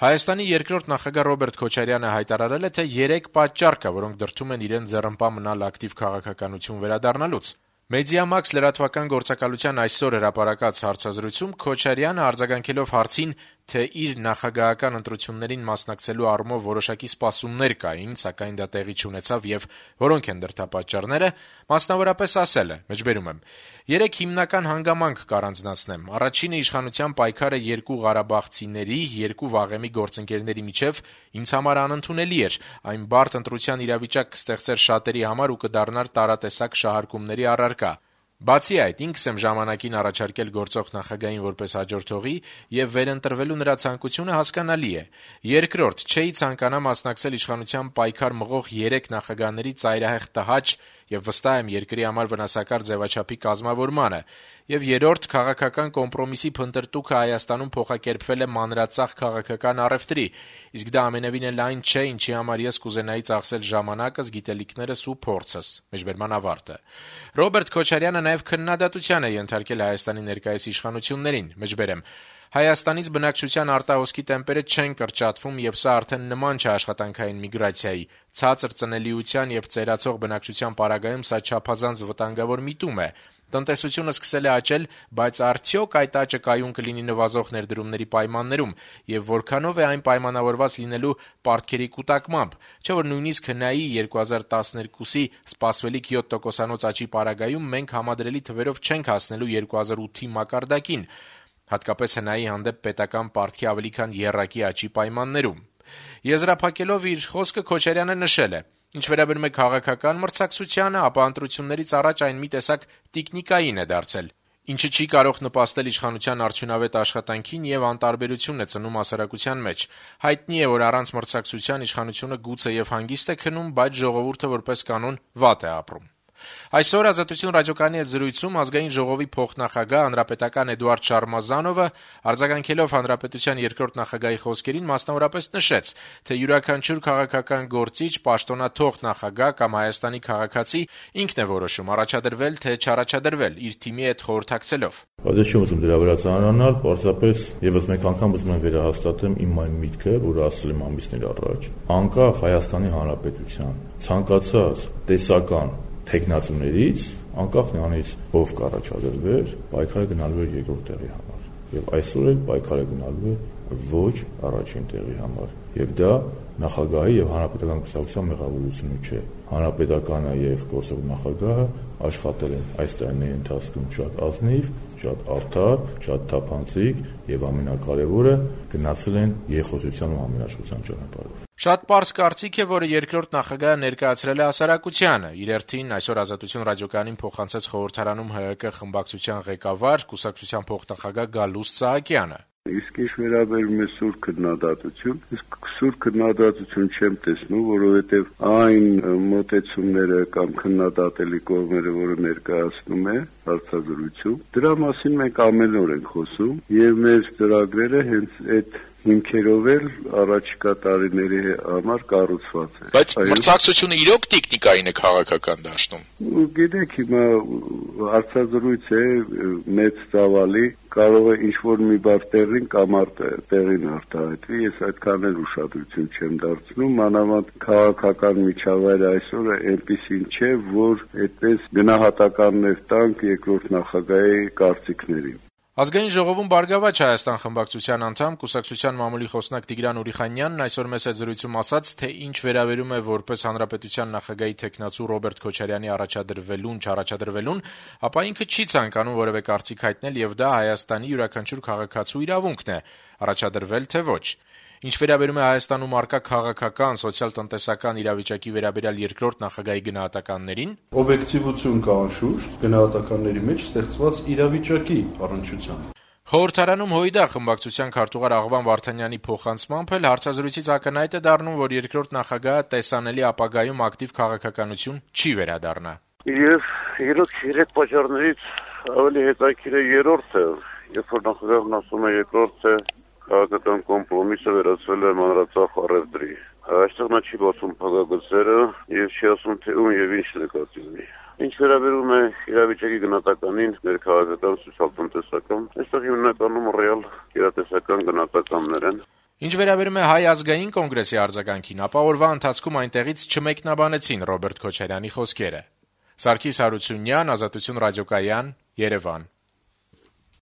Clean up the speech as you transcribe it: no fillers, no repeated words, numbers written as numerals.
Հայաստանի երկրորդ նախագահ Ռոբերտ Քոչարյանը հայտարարել է, թե 3 պատճառ կա, որոնք դրդում են իրեն ձեռնպա մնալ ակտիվ քաղաքականություն վերադառնալուց։ Մեդիամաքս լրատվական գործակալության այսօր հրապարակած հարցազրույցում Քոչարյանը արձագանքելով հարցին, թե իր նախագահական ընտրություններին մասնակցելու առումով որոշակի սպասումներ կային, սակայն դա տեղի չունեցավ եւ որոնք են դրդապատճառները, մասնավորապես ասել է. «3 հիմնական հանգամանք կառանձնացնեմ։ Առաջինը իշխանության պայքարը երկու ղարաբաղցիների, երկու վաղեմի գործընկերների միջև ինձ համար անընդունելի էր, այն բարդ ընտրության իրավիճակ կստեղծեր շատերի համար ու կդառնար տարատեսակ շահարկումների առարկա։ Բացի այդ, ինքս եմ ժամանակին առաջարկել գործող նախագահին որպես հաջորդողի եւ վերընտրվելու նրա ցանկությունը հասկանալի է։ Երկրորդ, չէի ցանկանա մասնակցել իշխանության պայքար մղող 3 նախագահների ծայրահեղ տհաճ եւ վստահ եմ երկրի համար վնասակար ձևաչափի կազմավորմանը։ Եվ երրորդ, քաղաքական կոմպրոմիսի փնտրտուքը Հայաստանում փոխակերպվել է մանրածախ քաղաքական առևտրի, իսկ դա ամենևին էլ այն չէ, ինչի համար ես կուզենայի ծախսել ժամանակս, գիտելիքներս ու փորձս»։ Ռոբերտ Քոչարյանը նաեւ քննադատության է ենթարկել Հայաստանի ներկայիս իշխանություններին. «Հայաստանից բնակչության արտահոսքի տեմպերը չեն կրճատվում եւ սա արդեն նման չէ աշխատանքային միգրացիայի։ Ցածր ծնելիության եւ ծերացող բնակչության պարագայում սա չափազանց վտանգավոր միտում է։ Տնտեսությունը սկսել է աճել, բայց արդյոք այդ աճը կայուն կլինի նվազող ներդրումների պայմաններում եւ որքանով է այն պայմանավորված լինելու պարտքերի կուտակմամբ, չէ՞ որ նույնիսկ հնայի 2012-ի սպասվելիք 7%-անոց աճի պարագայում մենք համադրելի թվերով չենք հասնելու 2008-ի մակարդակին, հատկապես հնայի հանդեպ պետական պարտքի ավելի քան եռակի աճի պայմաններում»։ Եզրափակելով իր խոսքը Քոչարյանը նշել է. «Ինչ վերաբերում է քաղաքական մրցակցությանը, ապա ընտրություններից առաջ այն մի տեսակ տիկնիկային է դարձել, ինչը չի կարող նպաստել իշխանության արդյունավետ աշխատանքին եւ անտարբերություն է ծնում հասարակության մեջ։ Հայտնի է, որ առանց մրցակցության իշխանությունը գուցե եւ հանգիստ է քնում, բայց ժողովուրդը որպես կանոն վատ է ապրում»։ Այսօր «Ազատություն» ռադիոկայանի հետ զրույցում Ազգային ժողովի փոխնախագահ հանրապետական Էդուարդ Շարմազանովը արձագանքելով հանրապետության երկրորդ նախագահի խոսքերին մասնավորապես նշեց, թե յուրաքանչյուր քաղաքական գործիչ, պաշտոնաթող նախագահ կամ Հայաստանի քաղաքացի ինքն է որոշում առաջադրվել թե չառաջադրվել իր թիմի հետ խորհրդակցելով. Բայց ես չեմ ուզում դրա վրա ծանրանալ, պարզապես եւս մեկ անգամ ուզում եմ վերահաստատեմ իմ այն միտքը, որը ասել եմ ամիսներ առաջ, անկախ Հայաստանի Հանրապետության ցանկացած տեսական թեկնածուներից, անկախ նրանից ով կառաջադրվեր, պայքարը գնալու է երկրորդ տեղի համար։ Եվ այսօր էլ պայքարը գնալու է ոչ առաջին տեղի համար։ Եվ դա նախագահի եւ հանրապետական կուսակցության մեղավորությունը չէ։ Հանրապետականը եւ գործող նախագահը աշխատել են այս տարիների ընթացքում շատ ազնիվ, շատ արդար, շատ թափանցիկ եւ ամենակարևորը գնացել են երկխոսության ու համերաշխության ճանապարհով։ Շատ պարզ կարծիք է, որը երկրորդ նախագահը ներկայացրել է հասարակությանը։ Իր հերթին այսօր «Ազատություն» ռադիոկայանին փոխանցեց խորհրդարանում ՀՀԿ խմբակցության ղեկավար, կուսակցության փոխնախագահ Գալուստ Սահակյանը։ Իսկ ինչ վերաբերում է սուր քննադատություն, իսկ սուր քննադատություն չեմ տեսնում, որովհետև այն մոտեցումները կամ քննադատելի կողմերը, որը ներկայացնում է հարցազրույցում, դրա մասին մենք ամեն օր ենք խոսում եւ մեր ծրագրերը հենց այդ հիմքերով էլ առաջիկա տարիների համար կառուցված է։ Բայց մրցակցությունը իրոք տիկնիկային է քաղաքական դաշտում։ Գիտեք, հիմա հարցազրույց է մեծ ծավալի, կարող է ինչ-որ մի բառ տեղին կամ տեղին արտահայտվի, ես այդքան էլ ուշադրություն չեմ դարձնում, մանավանդ քաղաքական միջավայրը այսօր այնպիսին չէ, որ այդպես գնահատականներ տանք երկրորդ նախագահի կարծիքներին։ Ազգային ժողովում «Բարգավաճ Հայաստան» խմբակցության անդամ, կուսակցության մամուլի խոսնակ Տիգրան Ուրիխանյանն այսօր մեծ հետ զրույցում ասաց, թե ինչ վերաբերում է որպես հանրապետության նախագահի թեկնածու Ռոբերտ Քոչարյանի առաջադրվելուն, չառաջադրվելուն, ապա ինքը չի ցանկանում որևէ կարծիք հայտնել եւ դա Հայաստանի յուրաքանչյուր քաղաքացու իրավունքն է՝ առաջադրվել թե ոչ։ Ինչ վերաբերում է Հայաստանում առկա քաղաքական, սոցիալ-տնտեսական իրավիճակի վերաբերյալ երկրորդ նախագահի գնահատականներին, օբյեկտիվություն կա անշուշտ գնահատականների մեջ ստեղծված իրավիճակի առնչությամբ։ Խորհրդարանում ՀՅԴ խմբակցության քարտուղար Աղվան Վարդանյանի փոխանցմամբ էլ հարցազրույցից ակնհայտ է դառնում, որ երկրորդ նախագահը տեսանելի ապագայում ակտիվ քաղաքականություն չի վերադառնա։ Եվ երեք պատճառներից ավելի հետաքրքիր է երրորդը, երբ որ նախագահն ասում է երկրորդը քաղաքական կոմպրոմիսը վերածվել է մանրածախ առևտրի։ Այստեղ նա չի բացում փակագծերը եւ չի ասում թե ում եւ ինչ նկատի ունի։ Ինչ վերաբերում է իրավիճակի գնահատականին, ներքաղաքական, սոցիալ-տնտեսական, այստեղ հիմնականում ռեալ գերատեսական գնահատականներ են։ Ինչ վերաբերում է Հայ ազգային կոնգրեսի արձագանքին, ապա օրվա ընթացքում այնտեղից չմեկնաբանեցին Ռոբերտ Քոչարյանի խոսքերը։ Սարգիս Հարությունյան, Ազատություն ռադիոկայան, Երևան։